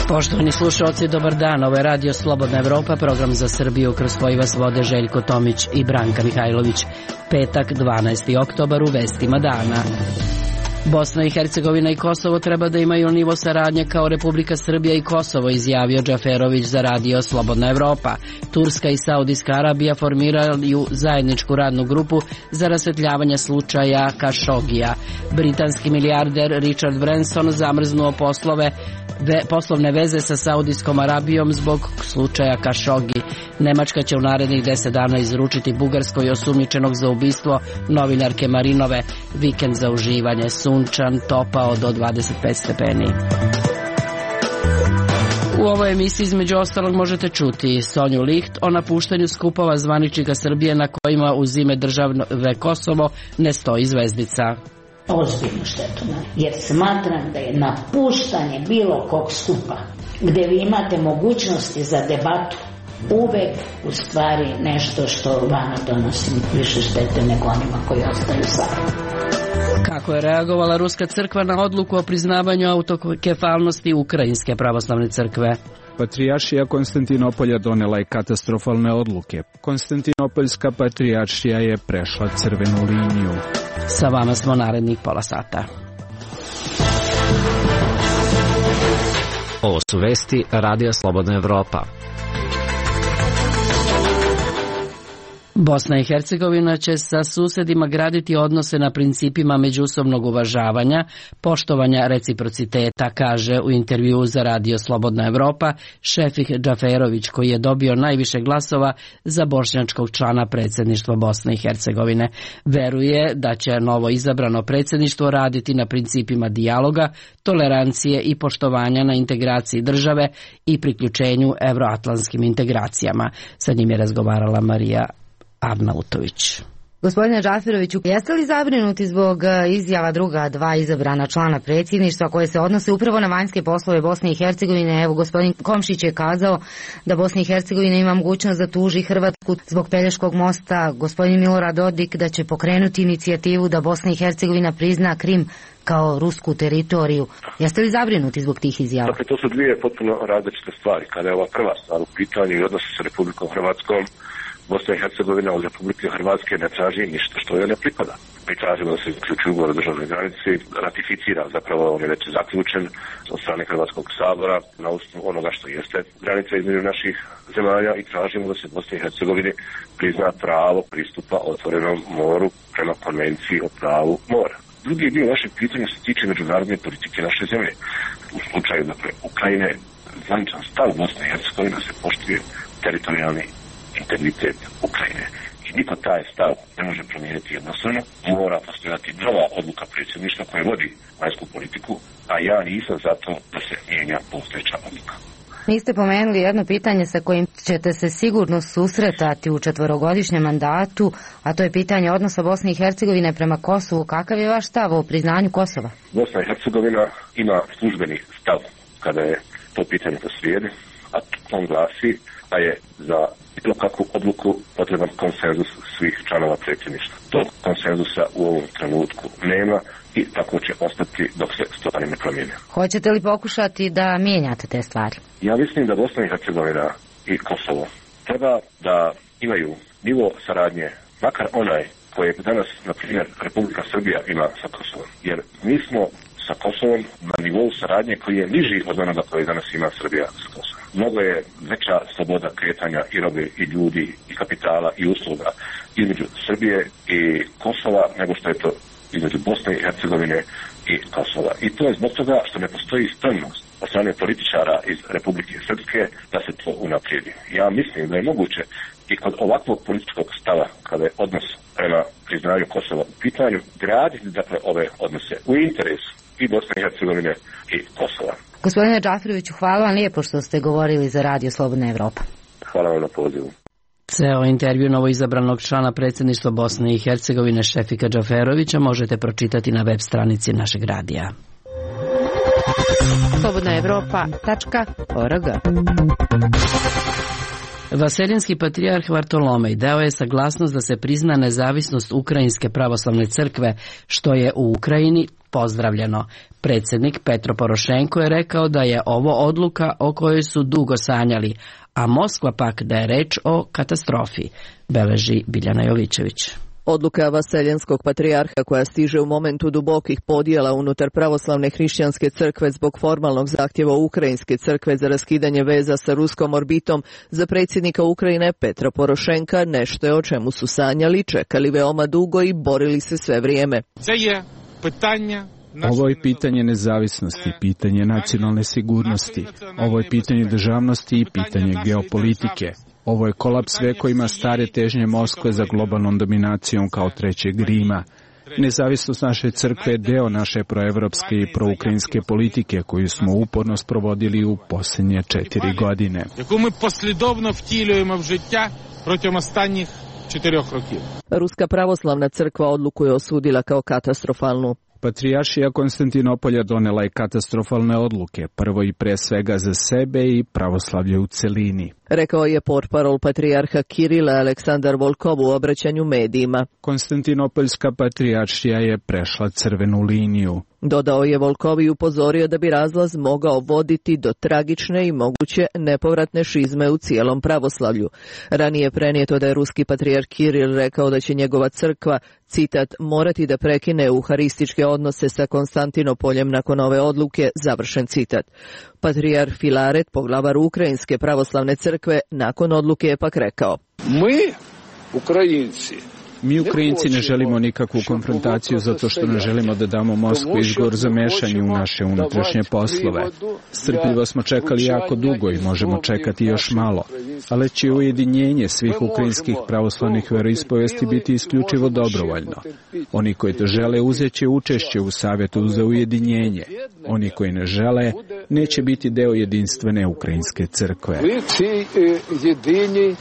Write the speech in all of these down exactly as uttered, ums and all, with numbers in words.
Poštovani slušalci, dobar dan. Ovo je Radio Slobodna Evropa, program za Srbiju, kroz koji vas vode Željko Tomić i Branka Mihajlović. Petak, dvanaesti oktobar, u vestima dana. Bosna i Hercegovina i Kosovo treba da imaju nivo saradnje kao Republika Srbija i Kosovo, izjavio Džaferović za Radio Slobodna Evropa. Turska i Saudijska Arabija formiraju zajedničku radnu grupu za rasvetljavanje slučaja Kašogija. Britanski milijarder Richard Branson zamrznuo poslove Ve, poslovne veze sa Saudijskom Arabijom zbog slučaja Kašogi. Nemačka će u narednih deset dana izručiti Bugarskoj osumnjičenog za ubistvo novinarke Marinove. Vikend za uživanje, sunčan, topao do dvadeset pet stepeni. U ovoj emisiji između ostalog možete čuti Sonju Licht o napuštanju skupova zvaničnika Srbije na kojima uz ime države Kosovo ne stoji zvezdica. Ozbiljnu štetu, jer smatram da je napuštanje bilo kog skupa gdje vi imate mogućnosti za debatu uvek u stvari nešto što vama donosi više štete nego onima koji ostaju sami. Kako je reagovala Ruska crkva na odluku o priznavanju autokefalnosti Ukrajinske pravoslavne crkve? Patrijaršija Konstantinopolja donela je katastrofalne odluke. Konstantinopoljska patrijaršija je prešla crvenu liniju. Sa vama smo narednih pola sata. Ovo su vesti Radija Slobodna Evropa. Bosna i Hercegovina će sa susedima graditi odnose na principima međusobnog uvažavanja, poštovanja reciprociteta, kaže u intervjuu za Radio Slobodna Evropa Šefik Džaferović, koji je dobio najviše glasova za bošnjačkog člana predsjedništva Bosne i Hercegovine. Veruje da će novo izabrano predsjedništvo raditi na principima dijaloga, tolerancije i poštovanja na integraciji države i priključenju evroatlantskim integracijama. Sa njim je razgovarala Marija Arnautović. Gospodine Džaferoviću, jeste li zabrinuti zbog izjava druga dva izabrana člana predsjedništva koje se odnose upravo na vanjske poslove Bosne i Hercegovine? Evo, gospodin Komšić je kazao da Bosna i Hercegovina ima mogućnost da tuži Hrvatsku zbog Pelješkog mosta. Gospodin Milorad Dodik da će pokrenuti inicijativu da Bosna i Hercegovina prizna Krim kao rusku teritoriju. Jeste li zabrinuti zbog tih izjava? Dakle, to su dvije potpuno različite stvari. Kada je ova prva stvar u pitanju i odnosi sa Republikom Hrvatskom, Bosna i Hercegovina od Republike Hrvatske ne traži ništa što joj ne pripada. Mi tražimo da se uključi ugovor o državnoj granici, ratificira, zapravo on je već zaključen od strane Hrvatskog sabora na osnovu onoga što jeste granica između naših zemalja i tražimo da se Bosni i Hercegovini prizna pravo pristupa otvorenom moru prema konvenciji o pravu mora. Drugi dio našeg pitanja se tiče međunarodne politike naše zemlje. U slučaju, dakle, Ukrajine, zvaničan stav Bosne i Hercegovine se poštuje teritorijalni integritet Ukrajine. I niko taj stav ne može promijeniti jednostavno. Mora postojati nova odluka predsjedništva koje vodi vanjsku politiku, a ja nisam za to da se mijenja postojeća odluka. Niste pomenuli jedno pitanje sa kojim ćete se sigurno susretati u četvorogodišnjem mandatu, a to je pitanje odnosa Bosne i Hercegovine prema Kosovu. Kakav je vaš stav o priznanju Kosova? Bosna i Hercegovina ima službeni stav kada je to pitanje posrijedi, a on glasi da je za bilo kakvu odluku potreban konsenzus svih članova predsjedništva. Tog konsenzusa u ovom trenutku nema i tako će ostati dok se stvari ne promijene. Hoćete li pokušati da mijenjate te stvari? Ja mislim da Bosna i Hercegovina i Kosovo treba da imaju nivo saradnje, makar onaj kojeg danas, na primjer, Republika Srbija ima sa Kosovom. Jer mi smo sa Kosovom na nivou saradnje koji je niži od onoga koji danas ima Srbija sa Kosovom. Mnogo je veća sloboda kretanja i robe i ljudi i kapitala i usluga između Srbije i Kosova nego što je to između Bosne i Hercegovine i Kosova. I to je zbog toga što ne postoji spremnost od strane političara iz Republike Srpske da se to unaprijedi. Ja mislim da je moguće i kod ovakvog političkog stava, kada je odnos prema priznanju Kosova u pitanju, graditi dakle ove odnose u interesu i Bosne i Hercegovine i Kosova. Gospodine Džaferoviću, hvala vam lijepo što ste govorili za Radio Slobodna Evropa. Hvala vam na pozivu. Ceo intervju novoizabranog člana predsjedništva Bosne i Hercegovine Šefika Džaferovića možete pročitati na web stranici našeg radija. slobodna evropa tačka org Vaseljenski patrijarh Vartolomej dao je saglasnost da se prizna nezavisnost Ukrajinske pravoslavne crkve, što je u Ukrajini pozdravljeno. Predsjednik Petro Porošenko je rekao da je ovo odluka o kojoj su dugo sanjali, a Moskva pak da je reč o katastrofi, beleži Biljana Jovićević. Odluka Vaseljenskog patrijarha koja stiže u momentu dubokih podjela unutar pravoslavne hrišćanske crkve zbog formalnog zahtjeva Ukrajinske crkve za raskidanje veza sa ruskom orbitom za predsjednika Ukrajine Petra Porošenka nešto je o čemu su sanjali, čekali veoma dugo i borili se sve vrijeme. Ovo je pitanje nezavisnosti, pitanje nacionalne sigurnosti, ovo je pitanje državnosti i pitanje geopolitike. Ovo je kolaps vekovima stare težnje Moskve za globalnom dominacijom kao trećeg Rima. Nezavisnost naše crkve je deo naše proevropske i proukrajinske politike koju smo uporno sprovodili u posljednje četiri godine. Ruska pravoslavna crkva odluku je osudila kao katastrofalnu. Patrijaršija Konstantinopolja donela je katastrofalne odluke, prvo i pre svega za sebe i pravoslavlje u celini. Rekao je portparol patrijarha Kirila Aleksandar Volkov u obraćanju medijima. Konstantinopoljska patrijaršija je prešla crvenu liniju. Dodao je Volkov i upozorio da bi razlaz mogao voditi do tragične i moguće nepovratne šizme u cijelom pravoslavlju. Ranije prenijeto da je ruski patrijarh Kiril rekao da će njegova crkva, citat, morati da prekine euharističke odnose sa Konstantinopoljem nakon ove odluke, završen citat. Patrijarh Filaret, poglavar Ukrajinske pravoslavne crkve, nakon odluke je pak rekao: Mi, Ukrajinci, Mi Ukrajinci ne želimo nikakvu konfrontaciju zato što ne želimo da damo Moskvi izgovor za mešanje u naše unutrašnje poslove. Strpljivo smo čekali jako dugo i možemo čekati još malo, ali će ujedinjenje svih ukrajinskih pravoslavnih veroispovesti biti isključivo dobrovoljno. Oni koji to žele uzet će učešće u Savjetu za ujedinjenje. Oni koji ne žele neće biti deo jedinstvene ukrajinske crkve. jedini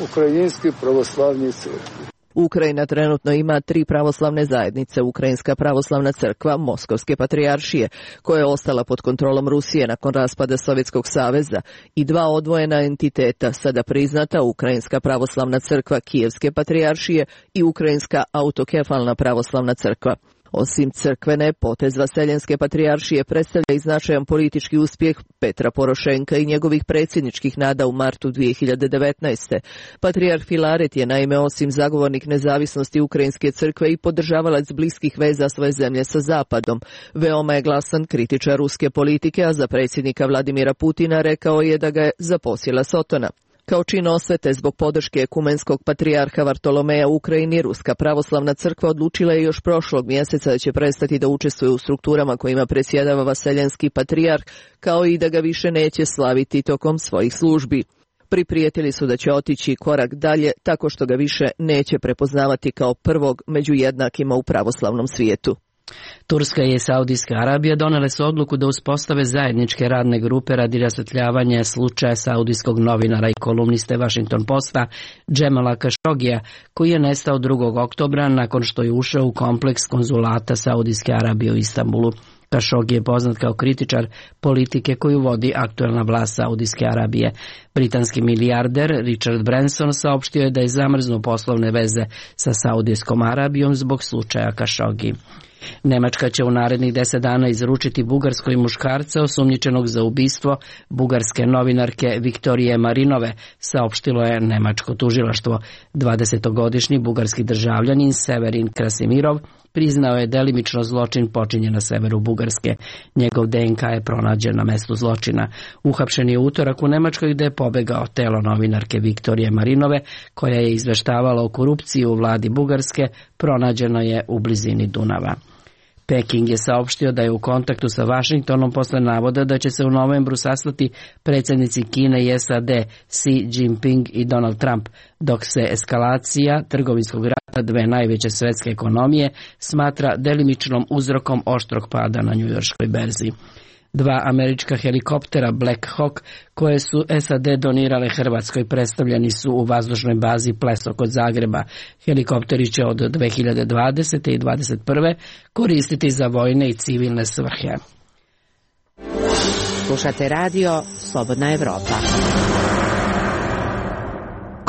ukrajinski pravoslavni crkve. Ukrajina trenutno ima tri pravoslavne zajednice, Ukrajinska pravoslavna crkva, Moskovske patrijaršije, koja je ostala pod kontrolom Rusije nakon raspada Sovjetskog saveza, i dva odvojena entiteta, sada priznata Ukrajinska pravoslavna crkva Kijevske patrijaršije i Ukrajinska autokefalna pravoslavna crkva. Osim crkvene, potez Vaseljenske patrijaršije predstavlja i značajan politički uspjeh Petra Porošenka i njegovih predsjedničkih nada u martu dvije hiljade devetnaeste. Patrijarh Filaret je naime osim zagovornik nezavisnosti Ukrajinske crkve i podržavalac bliskih veza svoje zemlje sa Zapadom. Veoma je glasan kritičar ruske politike, a za predsjednika Vladimira Putina rekao je da ga je zaposjela sotona. Kao čin osvete zbog podrške ekumenskog patrijarha Vartolomeja u Ukrajini, Ruska pravoslavna crkva odlučila je još prošlog mjeseca da će prestati da učestvuje u strukturama kojima predsjedava Vaseljenski patrijarh, kao i da ga više neće slaviti tokom svojih službi. Priprijetili su da će otići korak dalje tako što ga više neće prepoznavati kao prvog među jednakima u pravoslavnom svijetu. Turska i Saudijska Arabija donele su odluku da uspostave zajedničke radne grupe radi rasvetljavanja slučaja saudijskog novinara i kolumniste Washington Posta Džemala Kašogija, koji je nestao drugog oktobra nakon što je ušao u kompleks konzulata Saudijske Arabije u Istanbulu. Kašogi je poznat kao kritičar politike koju vodi aktuelna vlast Saudijske Arabije. Britanski milijarder Richard Branson saopštio je da je zamrznuo poslovne veze sa Saudijskom Arabijom zbog slučaja Kašogi. Nemačka će u narednih deset dana izručiti Bugarskoj muškarca osumnjičenog za ubistvo bugarske novinarke Viktorije Marinove, saopštilo je nemačko tužilaštvo. dvadesetogodišnji bugarski državljanin Severin Krasimirov priznao je delimično zločin počinjen na severu Bugarske. Njegov D N K je pronađen na mestu zločina. Uhapšen je utorak u Nemačkoj gde je pobegao. Telo novinarke Viktorije Marinove, koja je izveštavala o korupciji u vladi Bugarske, pronađeno je u blizini Dunava. Peking je saopštio da je u kontaktu sa Washingtonom posle navoda da će se u novembru sastati predsjednici Kine i S A D Xi Jinping i Donald Trump, dok se eskalacija trgovinskog rata dve najveće svetske ekonomije smatra delimičnom uzrokom oštrog pada na njujorškoj berzi. Dva američka helikoptera Black Hawk koje su S A D donirale Hrvatskoj predstavljeni su u vazdušnoj bazi Pleso kod Zagreba. Helikopteri će od dve hiljade dvadesete i dvadeset prve koristiti za vojne i civilne svrhe. Slušate radio Slobodna Evropa.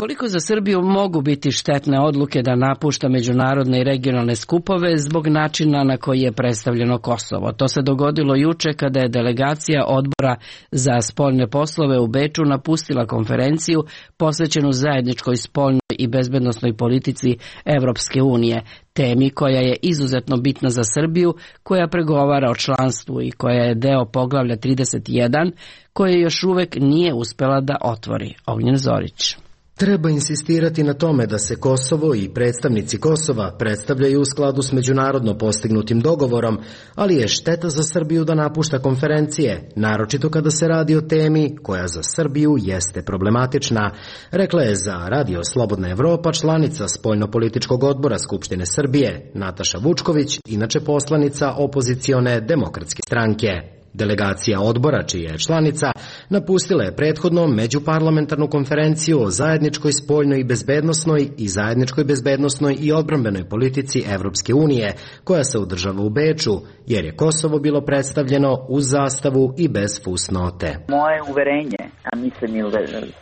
Koliko za Srbiju mogu biti štetne odluke da napušta međunarodne i regionalne skupove zbog načina na koji je predstavljeno Kosovo? To se dogodilo juče kada je delegacija Odbora za spoljne poslove u Beču napustila konferenciju posvećenu zajedničkoj spoljnoj i bezbednosnoj politici Evropske unije, temi koja je izuzetno bitna za Srbiju, koja pregovara o članstvu i koja je deo poglavlja trideset jedan, koje još uvek nije uspela da otvori. Ognjen Zorić. Treba insistirati na tome da se Kosovo i predstavnici Kosova predstavljaju u skladu s međunarodno postignutim dogovorom, ali je šteta za Srbiju da napušta konferencije, naročito kada se radi o temi koja za Srbiju jeste problematična, rekla je za Radio Slobodna Evropa članica Spoljnopolitičkog odbora Skupštine Srbije, Nataša Vučković, inače poslanica opozicione Demokratske stranke. Delegacija odbora, čija je članica, napustila je prethodno međuparlamentarnu konferenciju o zajedničkoj spoljnoj i bezbednosnoj i zajedničkoj bezbednosnoj i odbrambenoj politici Evropske unije, koja se održava u Beču, jer je Kosovo bilo predstavljeno uz zastavu i bez fusnote. Moje uverenje, a mislim i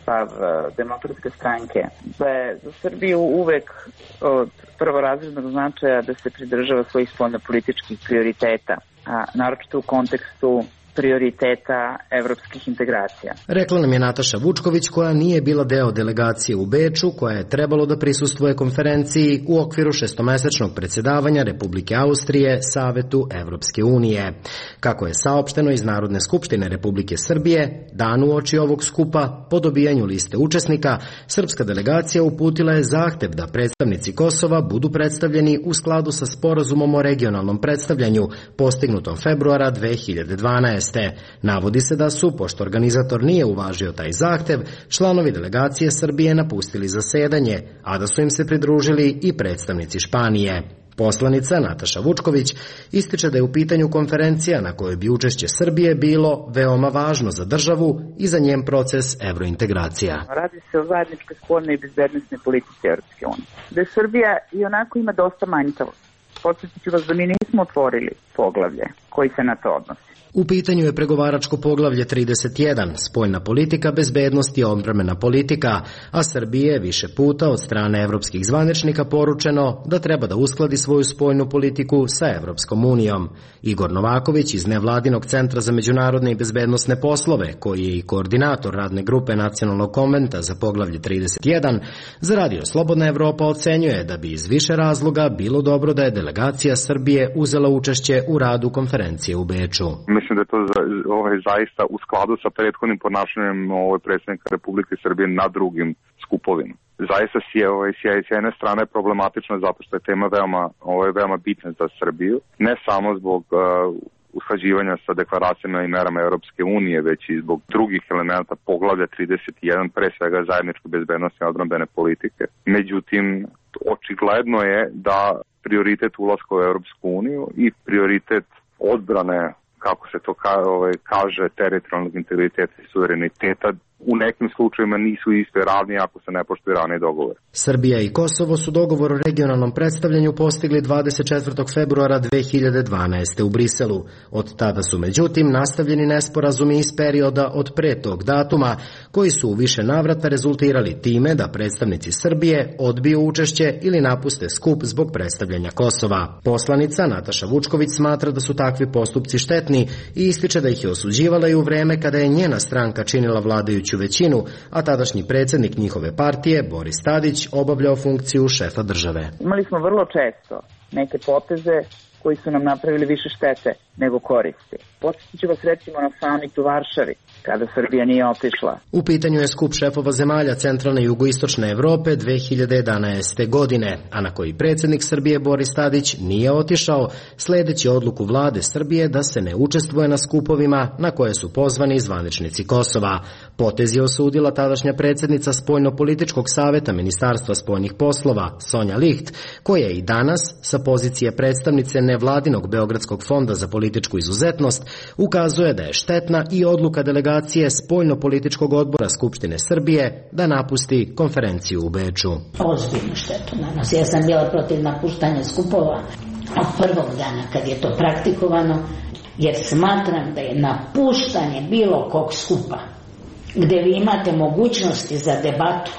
stav Demokratske stranke, da je za Srbiju uvek od prvorazrednog značaja da se pridržava svojih spoljnopolitičkih prioriteta, a naročito u kontekstu prioriteta evropskih integracija. Rekla nam je Nataša Vučković, koja nije bila deo delegacije u Beču, koja je trebalo da prisustvuje konferenciji u okviru šestomesečnog predsjedavanja Republike Austrije Savetu Evropske unije. Kako je saopšteno iz Narodne skupštine Republike Srbije, dan uoči ovog skupa, po dobijanju liste učesnika, srpska delegacija uputila je zahtev da predstavnici Kosova budu predstavljeni u skladu sa sporazumom o regionalnom predstavljanju postignutom februara dve hiljade dvanaeste. Navodi se da su, pošto organizator nije uvažio taj zahtev, članovi delegacije Srbije napustili zasedanje, a da su im se pridružili i predstavnici Španije. Poslanica Nataša Vučković ističe da je u pitanju konferencija na kojoj bi učešće Srbije bilo veoma važno za državu i za njen proces evrointegracija. Radi se o zajedničkoj spoljnoj i bezbednosnoj politici Evropske unije, gde Srbija i onako ima dosta manjkavosti. Podsjetit ću vas da mi nismo otvorili poglavlje koji se na to odnosi. U pitanju je pregovaračko poglavlje trideset jedan, spoljna politika, bezbednost i odbrambena politika, a Srbije je više puta od strane evropskih zvaničnika poručeno da treba da uskladi svoju spoljnu politiku sa Evropskom unijom. Igor Novaković iz Nevladinog centra za međunarodne i bezbednosne poslove, koji je i koordinator radne grupe Nacionalnog konventa za poglavlje trideset jedan, za Radio Slobodna Evropa ocenjuje da bi iz više razloga bilo dobro da je delegacija Srbije uzela učešće u radu konferencije u Beču. Mislim da je to ovaj, zaista u skladu sa prethodnim ponašanjem ovaj, predsjednika Republike Srbije na drugim skupovima. Zaista si je, ovaj, s jedne strane problematično zato što je tema veoma, ovaj, veoma bitna za Srbiju, ne samo zbog uh, usklađivanja sa deklaracijama i merama Europske unije, već i zbog drugih elementa poglavlja trideset jedan, pre svega zajedničke bezbednosti i odbrambene politike. Međutim, očigledno je da prioritet ulaska u Europsku uniju i prioritet odbrane, kako se to ka, ovaj, kaže, teritorijalnog integriteta i suvereniteta, u nekim slučajima nisu iste ravni ako se ne poštuje raniji dogovor. Srbija i Kosovo su dogovor o regionalnom predstavljanju postigli dvadeset četvrtog februara dve hiljade dvanaeste. u Briselu. Od tada su međutim nastavljeni nesporazumi iz perioda od pre tog datuma, koji su u više navrata rezultirali time da predstavnici Srbije odbiju učešće ili napuste skup zbog predstavljanja Kosova. Poslanica Nataša Vučković smatra da su takvi postupci štetni i ističe da ih je osuđivala i u vreme kada je njena stranka činila vladajuću većinu, a tadašnji predsjednik njihove partije, Boris Tadić, obavljao funkciju šefa države. Imali smo vrlo često neke poteze koji su nam napravili više štete nego koristi. Podsjetit ću vas recimo na samit u Varšavi, kada Srbija nije otišla. U pitanju je skup šefova zemalja centralne i jugoistočne Evrope dve hiljade jedanaeste. godine, a na koji predsjednik Srbije Boris Tadić nije otišao, sledeći odluku vlade Srbije da se ne učestvuje na skupovima na koje su pozvani zvaničnici Kosova. Potez je osudila tadašnja predsjednica Spoljnopolitičkog saveta Ministarstva spoljnih poslova, Sonja Licht, koja je i danas sa pozicije predstavnice nevladinog Beogradskog fonda za političku izuzetnost ukazuje da je štetna i odluka delegacije Spoljnopolitičkog odbora Skupštine Srbije da napusti konferenciju u Beču. Ozbiljnu štetu na nas. Ja sam bila protiv napuštanja skupova od prvog dana kad je to praktikovano, jer smatram da je napuštanje bilo kog skupa gde vi imate mogućnosti za debatu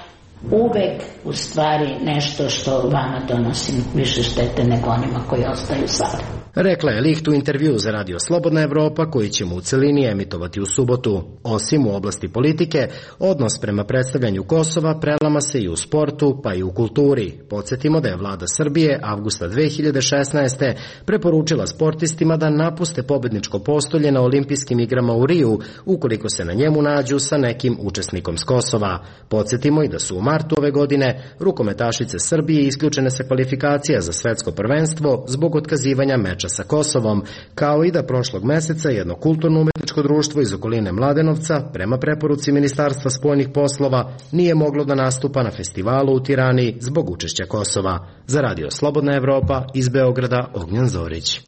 uvek u stvari nešto što vama donosi više štete nego onima koji ostaju sada. Rekla je Licht u intervju za Radio Slobodna Evropa koji ćemo u celini emitovati u subotu. Osim u oblasti politike, odnos prema predstavljanju Kosova prelama se i u sportu pa i u kulturi. Podsjetimo da je vlada Srbije avgusta dve hiljade šesnaeste. preporučila sportistima da napuste pobedničko postolje na olimpijskim igrama u Riju ukoliko se na njemu nađu sa nekim učesnikom s Kosova. Podsjetimo i da su u martu ove godine rukometašice Srbije isključene sa kvalifikacija za svetsko prvenstvo zbog otkazivanja meča sa Kosovom, kao i da prošlog meseca jedno kulturno-umetničko društvo iz okoline Mladenovca, prema preporuci Ministarstva spoljnih poslova, nije moglo da nastupa na festivalu u Tirani zbog učešća Kosova. Za Radio Slobodna Evropa iz Beograda, Ognjan Zorić.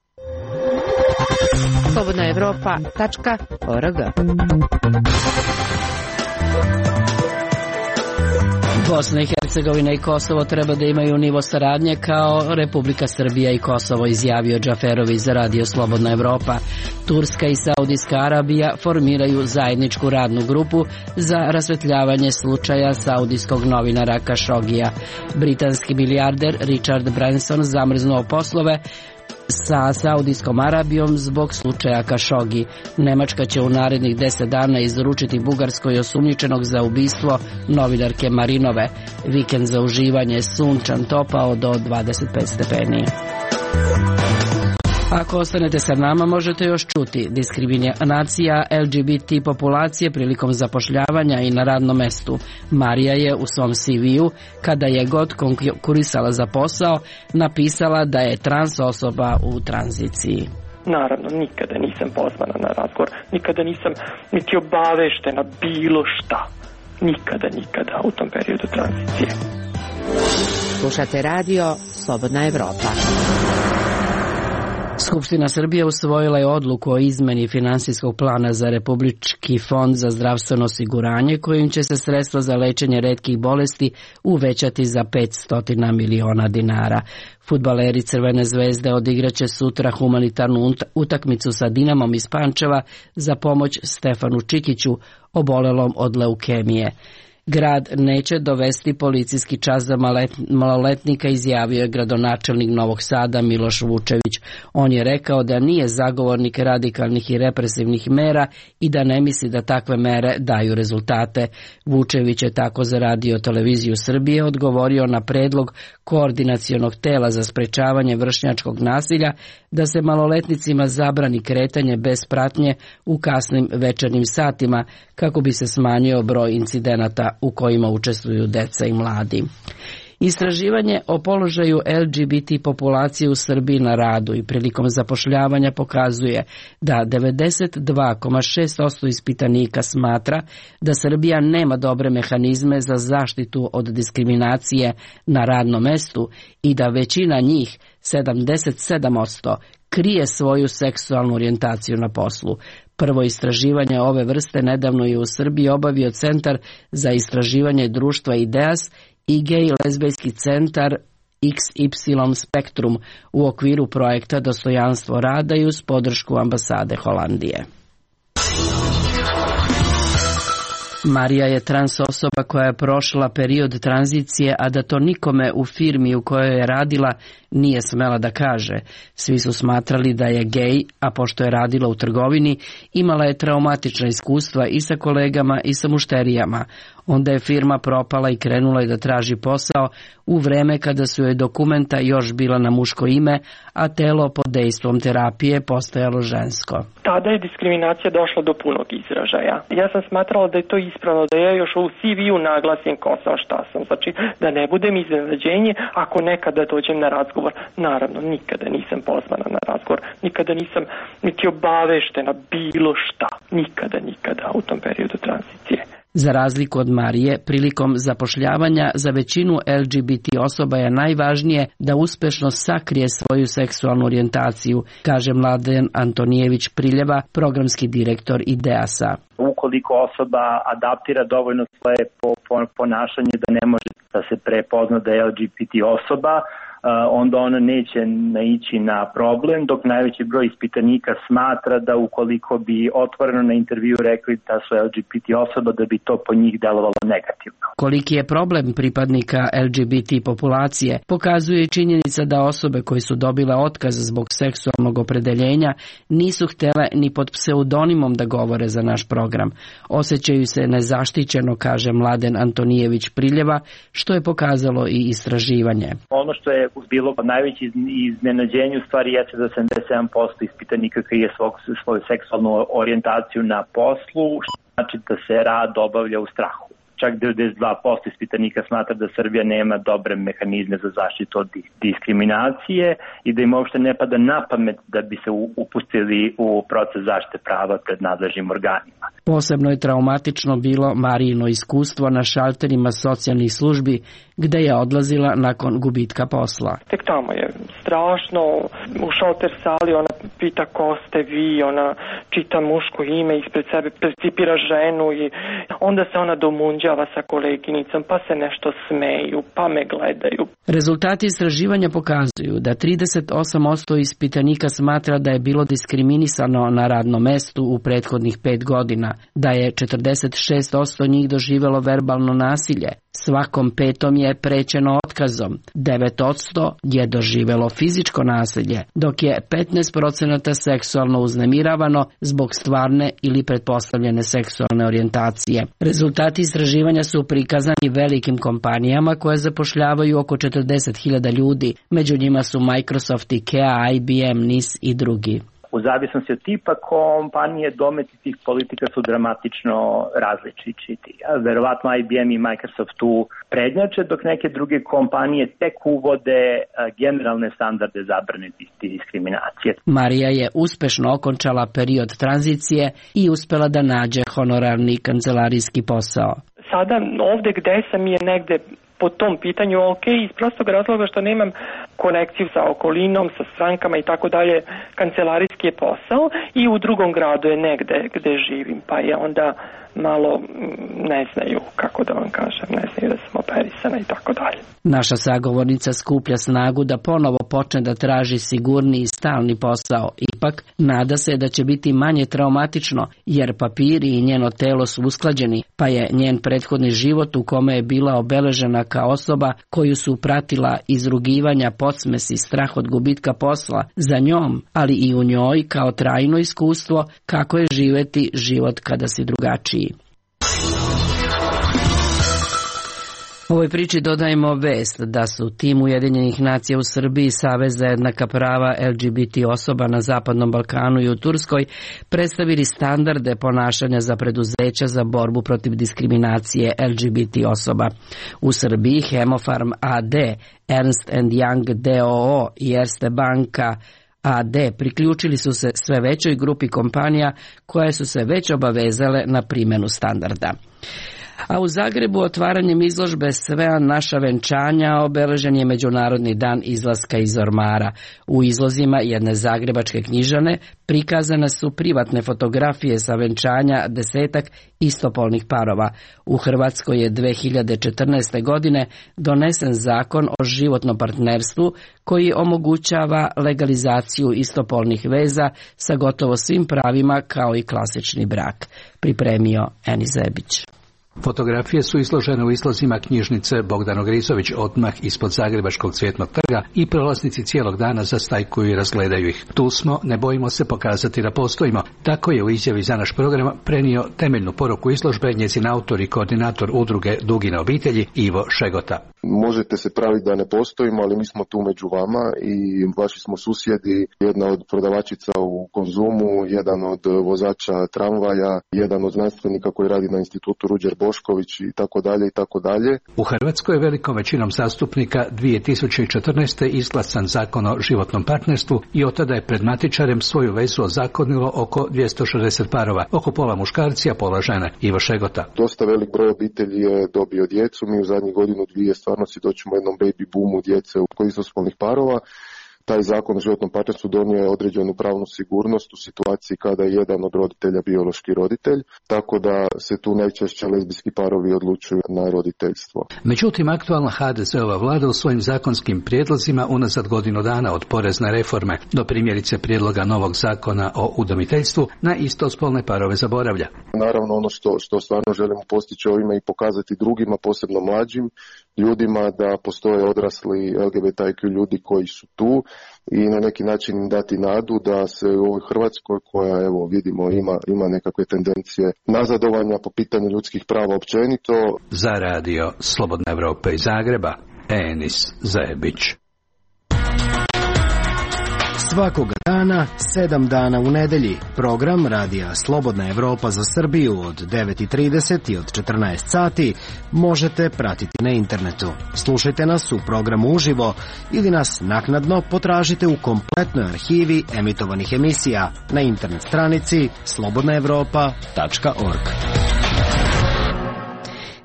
slobodna evropa tačka org. Bosna i Hercegovina i Kosovo treba da imaju nivo saradnje kao Republika Srbija i Kosovo, izjavio Džaferović za Radio Slobodna Evropa. Turska i Saudijska Arabija formiraju zajedničku radnu grupu za rasvetljavanje slučaja saudijskog novinara Kašogija. Britanski milijarder Richard Branson zamrznuo poslove sa Saudijskom Arabijom zbog slučaja Kašogi. Nemačka će u narednih deset dana izručiti Bugarskoj osumnjičenog za ubistvo novinarke Marinove. Vikend za uživanje, sunčan, topao do dvadeset pet stepeni. Ako ostanete sa nama, možete još čuti diskriminacija L G B T populacije prilikom zapošljavanja i na radnom mestu. Marija je u svom C V-u, kada je god konkurisala za posao, napisala da je trans osoba u tranziciji. Naravno, nikada nisam pozvana na razgovor, nikada nisam niti obaveštena bilo šta. Nikada, nikada u tom periodu tranzicije. Slušate radio Slobodna Evropa. Skupština Srbije usvojila je odluku o izmeni finansijskog plana za Republički fond za zdravstveno osiguranje, kojim će se sredstva za lečenje retkih bolesti uvećati za petsto miliona dinara. Fudbaleri Crvene zvezde odigraće sutra humanitarnu utakmicu sa Dinamom iz Pančeva za pomoć Stefanu Čikiću, obolelom od leukemije. Grad neće dovesti policijski čas za maloletnika, izjavio je gradonačelnik Novog Sada Miloš Vučević. On je rekao da nije zagovornik radikalnih i represivnih mera i da ne misli da takve mere daju rezultate. Vučević je tako za Radio Televiziju Srbije odgovorio na predlog koordinacionog tela za sprečavanje vršnjačkog nasilja da se maloletnicima zabrani kretanje bez pratnje u kasnim večernjim satima kako bi se smanjio broj incidenata u kojima učestvuju deca i mladi. Istraživanje o položaju L G B T populacije u Srbiji na radu i prilikom zapošljavanja pokazuje da devedeset dva zarez šest posto ispitanika smatra da Srbija nema dobre mehanizme za zaštitu od diskriminacije na radnom mestu i da većina njih, sedamdeset sedam posto, krije svoju seksualnu orijentaciju na poslu. Prvo istraživanje ove vrste nedavno je u Srbiji obavio Centar za istraživanje društva IDEAS i gej lezbejski centar X Y Spektrum u okviru projekta Dostojanstvo rada i uz podršku ambasade Holandije. Marija je trans osoba koja je prošla period tranzicije, a da to nikome u firmi u kojoj je radila nije smela da kaže. Svi su smatrali da je gej, a pošto je radila u trgovini, imala je traumatična iskustva i sa kolegama i sa mušterijama. Onda je firma propala i krenula je da traži posao u vreme kada su joj dokumenta još bila na muško ime, a telo pod dejstvom terapije postajalo žensko. Tada je diskriminacija došla do punog izražaja. Ja sam smatrala da je to ispravno, da ja još u C V-u naglasim ko sam, šta sam. Znači, da ne budem iznenađenje ako nekada dođem na razgovor. Naravno, nikada nisam pozvana na razgovor, nikada nisam niti obaveštena bilo šta. Nikada, nikada u tom periodu tranzicije. Za razliku od Marije, prilikom zapošljavanja za većinu L G B T osoba je najvažnije da uspešno sakrije svoju seksualnu orijentaciju, kaže Mladen Antonijević Priljeva, programski direktor IDEAS-a. Ukoliko osoba adaptira dovoljno svoje ponašanje da ne može da se prepozna da je L G B T osoba, onda ona neće naići na problem, dok najveći broj ispitanika smatra da ukoliko bi otvoreno na intervju rekli da su L G B T osoba, da bi to po njih delovalo negativno. Koliki je problem pripadnika L G B T populacije pokazuje i činjenica da osobe koje su dobile otkaz zbog seksualnog opredeljenja nisu htjele ni pod pseudonimom da govore za naš program. Osjećaju se nezaštićeno, kaže Mladen Antonijević Priljeva, što je pokazalo i istraživanje. Ono što je bilo najveće iznenađenje u stvari jeste da sedamdeset sedam posto ispitanika krije svog, svoju seksualnu orijentaciju na poslu, što znači da se rad obavlja u strahu. Čak devedeset dva posto ispitanika smatra da Srbija nema dobre mehanizme za zaštitu od diskriminacije i da im uopšte ne pada na pamet da bi se upustili u proces zaštite prava pred nadležnim organima. Posebno je traumatično bilo Marijino iskustvo na šalterima socijalnih službi gde je odlazila nakon gubitka posla. Tek tamo je strašno, u šalter sali ona pita ko ste vi, ona čita muško ime, ispred sebe percipira ženu i onda se ona domunđava sa koleginicom, pa se nešto smeju, pa me gledaju. Rezultati istraživanja pokazuju da trideset osam posto ispitanika smatra da je bilo diskriminisano na radnom mestu u prethodnih pet godina, da je četrdeset šest posto njih doživjelo verbalno nasilje, svakom petom je prećeno otkazom, devet posto je doživjelo fizičko nasilje, dok je petnaest posto seksualno uznemiravano zbog stvarne ili pretpostavljene seksualne orijentacije. Rezultati istraživanja su prikazani velikim kompanijama koje zapošljavaju oko četrdeset hiljada ljudi, među njima su Microsoft, IKEA, I B M, N I S i drugi. U zavisnosti od tipa kompanije, dometi tih politika su dramatično različiti. Verovatno I B M i Microsoft tu prednjače, dok neke druge kompanije tek uvode generalne standarde zabrane diskriminacije. Marija je uspešno okončala period tranzicije i uspela da nađe honorarni kancelarijski posao. Sada ovde gde sam je negde po tom pitanju ok, iz prostog razloga što nemam konekciju sa okolinom, sa strankama i tako dalje, kancelarijski je posao i u drugom gradu je negde gde živim, pa je onda malo ne znaju, kako da vam kažem, ne znaju da sam operisana i tako dalje. Naša sagovornica skuplja snagu da ponovo počne da traži sigurni i stalni posao. Ipak, nada se da će biti manje traumatično, jer papiri i njeno telo su usklađeni, pa je njen prethodni život u kome je bila obeležena kao osoba koju su pratila izrugivanja, podsmesi i strah od gubitka posla za njom, ali i u njoj kao trajno iskustvo kako je živeti život kada si drugačiji. Ovoj priči dodajemo vest da su tim Ujedinjenih nacija u Srbiji, Savez za jednaka prava L G B T osoba na Zapadnom Balkanu i u Turskoj predstavili standarde ponašanja za preduzeća za borbu protiv diskriminacije L G B T osoba. U Srbiji Hemofarm A D, Ernst and Young D O O i Erste Banka A D priključili su se sve većoj grupi kompanija koje su se već obavezale na primjenu standarda. A u Zagrebu otvaranjem izložbe Sve naša venčanja obeležen je Međunarodni dan izlaska iz ormara. U izlozima jedne zagrebačke knjižane prikazane su privatne fotografije sa venčanja desetak istopolnih parova. U Hrvatskoj je dve hiljade četrnaeste. godine donesen zakon o životnom partnerstvu koji omogućava legalizaciju istopolnih veza sa gotovo svim pravima kao i klasični brak. Pripremio Eni Zebić. Fotografije su izložene u izlozima knjižnice Bogdano Grizović odmah ispod Zagrebačkog Cvjetnog trga i prolaznici cijelog dana zastajkuju i razgledaju ih. Tu smo, ne bojimo se pokazati da postojimo. Tako je u izjavi za naš program prenio temeljnu poruku izložbe njezin autor i koordinator udruge Dugine obitelji Ivo Šegota. Možete se praviti da ne postojimo, ali mi smo tu među vama i vaši smo susjedi, jedna od prodavačica u Konzumu, jedan od vozača tramvaja, jedan od znanstvenika koji radi na institutu Ruđer Bošković i tako dalje i tako dalje. U Hrvatskoj je velikom većinom zastupnika dvije tisuće četrnaeste. izglasan zakon o životnom partnerstvu i od tada je pred matičarem svoju vezu ozakonilo oko dvjesto šezdeset parova, oko pola muškarci, a pola žene. Ivo Šegota. Dosta velik broj obitelji je dobio djecu, mi u zadnjih godinu dvije stvarno svjedočimo jednom baby boomu djece kod istospolnih parova. taj zakon o životnom partnerstvu donio je određenu pravnu sigurnost u situaciji kada je jedan od roditelja biološki roditelj, tako da se tu najčešće lezbijski parovi odlučuju na roditeljstvo. Međutim, aktualna ha de zeva vlada u svojim zakonskim prijedlozima unazad godinu dana od porezne reforme do primjerice prijedloga novog zakona o udomiteljstvu na istospolne parove zaboravlja. Naravno, ono što, što stvarno želimo postići ovime i pokazati drugima, posebno mlađim ljudima, da postoje odrasli el ge be te kju ljudi koji su tu i na neki način im dati nadu da se u ovoj Hrvatskoj, koja evo vidimo ima, ima nekakve tendencije nazadovanja po pitanju ljudskih prava općenito. Za radio Slobodna Evropa iz Zagreba, Enis Zajebić. Svakoga dana, sedam dana u nedelji, program Radija Slobodna Evropa za Srbiju od devet i trideset i od četrnaest sati možete pratiti na internetu. Slušajte nas u programu uživo ili nas naknadno potražite u kompletnoj arhivi emitovanih emisija na internet stranici slobodna evropa tačka org.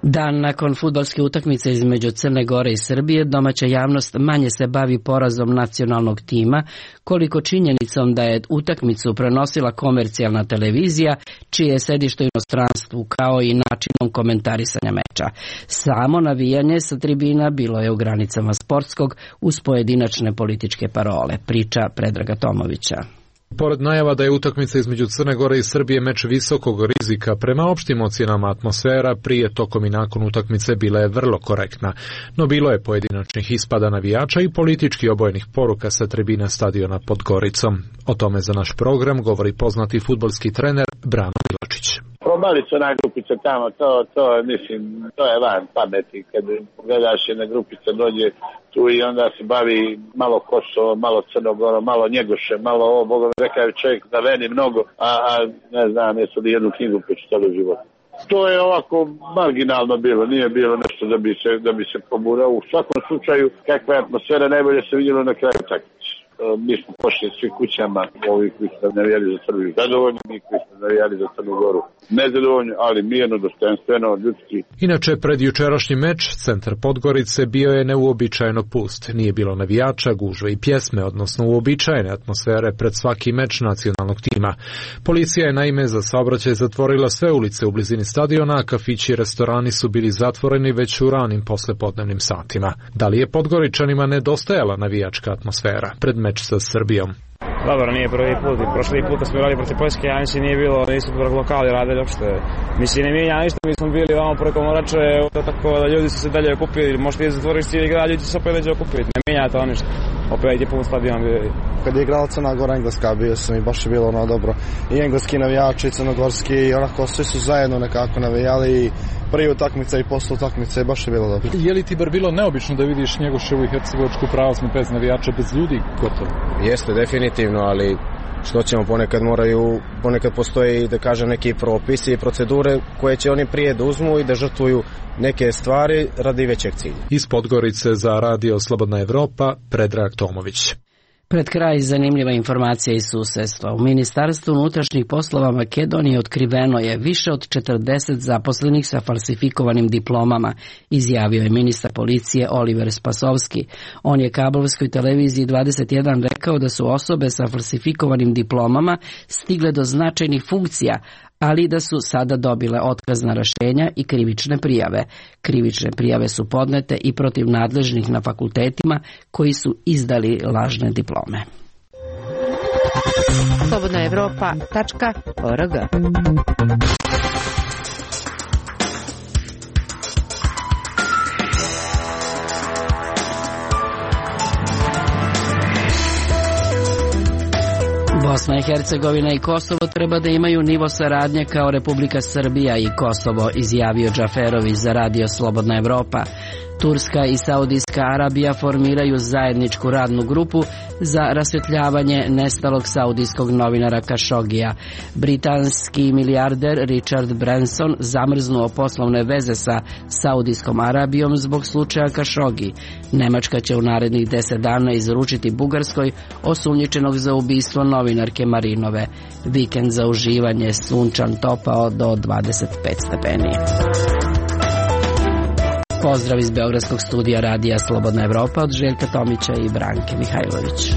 Dan nakon fudbalske utakmice između Crne Gore i Srbije, domaća javnost manje se bavi porazom nacionalnog tima, koliko činjenicom da je utakmicu prenosila komercijalna televizija, čije je sedište u inostranstvu, kao i načinom komentarisanja meča. Samo navijanje sa tribina bilo je u granicama sportskog uz pojedinačne političke parole, priča Predraga Tomovića. Pored najava da je utakmica između Crne Gore i Srbije meč visokog rizika, prema opštim ocjenama atmosfera prije, tokom i nakon utakmice bila je vrlo korektna, no bilo je pojedinačnih ispada navijača i politički obojenih poruka sa tribina stadiona pod Goricom. O tome za naš program govori poznati fudbalski trener Brano Milačić. Probali su ona grupica tamo, to, to, mislim, to je van pameti. Kad gledaš jedna grupica dođe tu i onda se bavi malo Kosovo, malo Crnogoro, malo Njegoše, malo ovo, Boga mi rekao čovjek da veni mnogo, a, a ne znam, jesu li jednu knjigu pročitali u životu. To je ovako marginalno bilo, nije bilo nešto da bi se, da bi se poburao. U svakom slučaju, kakva je atmosfera, najbolje se vidjelo na kraju utakmice. Mi smo pošli svi kućama, ovi koji su navijali za Srbiju zadovoljni, mi koji su navijali za Crnu Goru nezadovoljni, ali mirno, dostojanstveno, ljudski. Inače, pred jučerašnji meč, centar Podgorice bio je neuobičajeno pust. Nije bilo navijača, gužve i pjesme, odnosno uobičajene atmosfere pred svaki meč nacionalnog tima. Policija je naime za saobraćaj zatvorila sve ulice u blizini stadiona, a kafići i restorani su bili zatvoreni već u ranim poslepodnevnim satima. Da li je Podgoričanima nedostajala navijačka atmosfera pred meč sa Srbijom? Dobro, nije prvi put. Prošli put smo igrali protiv Poljske, ja mislim nije bilo, nisu prvo lokali radili uopšte. Mislim, ne mijenja ništa, mi smo bili vamo preko Morače, tako da ljudi su se dalje okupili, možete i zatvoriš cijeli grad, ljudi su se opet neđe okupiti, ne mijenja to ništa. Opet je pun stadion bio. Kad je igrala Crna Gora, Engleska, bio sam i baš je bilo ono dobro. I engleski navijači, i crnogorski, i onako svi su zajedno nekako navijali i prije utakmice i posle utakmice, baš je bilo dobro. Je li ti bar bilo neobično da vidiš Njegoševu i Hercegovačku pravoslav bez navijača, bez ljudi gotovo? Jeste, definitivno, ali što ćemo, ponekad moraju, ponekad postoje, da kažem, neki propisi i procedure koje će oni prije da uzmu i da žrtvuju neke stvari radi većeg cilja. Iz Podgorice za radio Slobodna Evropa, Predrag Tomović. Pred kraj zanimljiva informacija iz susedstva. U Ministarstvu unutrašnjih poslova Makedonije otkriveno je više od četrdeset zaposlenih sa falsifikovanim diplomama, izjavio je ministar policije Oliver Spasovski. On je kablovskoj televiziji dvadeset jedan rekao da su osobe sa falsifikovanim diplomama stigle do značajnih funkcija, ali da su sada dobile otkazna rješenja i krivične prijave. Krivične prijave su podnete i protiv nadležnih na fakultetima koji su izdali lažne diplome. slobodna evropa tačka org. Bosna i Hercegovina i Kosovo treba da imaju nivo saradnje kao Republika Srbija i Kosovo, izjavio Džaferović za radio Slobodna Evropa. Turska i Saudijska Arabija formiraju zajedničku radnu grupu za rasvjetljavanje nestalog saudijskog novinara Kašogija. Britanski milijarder Richard Branson zamrznuo poslovne veze sa Saudijskom Arabijom zbog slučaja Kašogi. Nemačka će u narednih deset dana izručiti Bugarskoj osumnjičenog za ubistvo novinarke Marinove. Vikend za uživanje, sunčan, topao do dvadeset pet stepeni. Pozdrav iz Beogradskog studija radija Slobodna Evropa od Željka Tomića i Branke Mihajlović.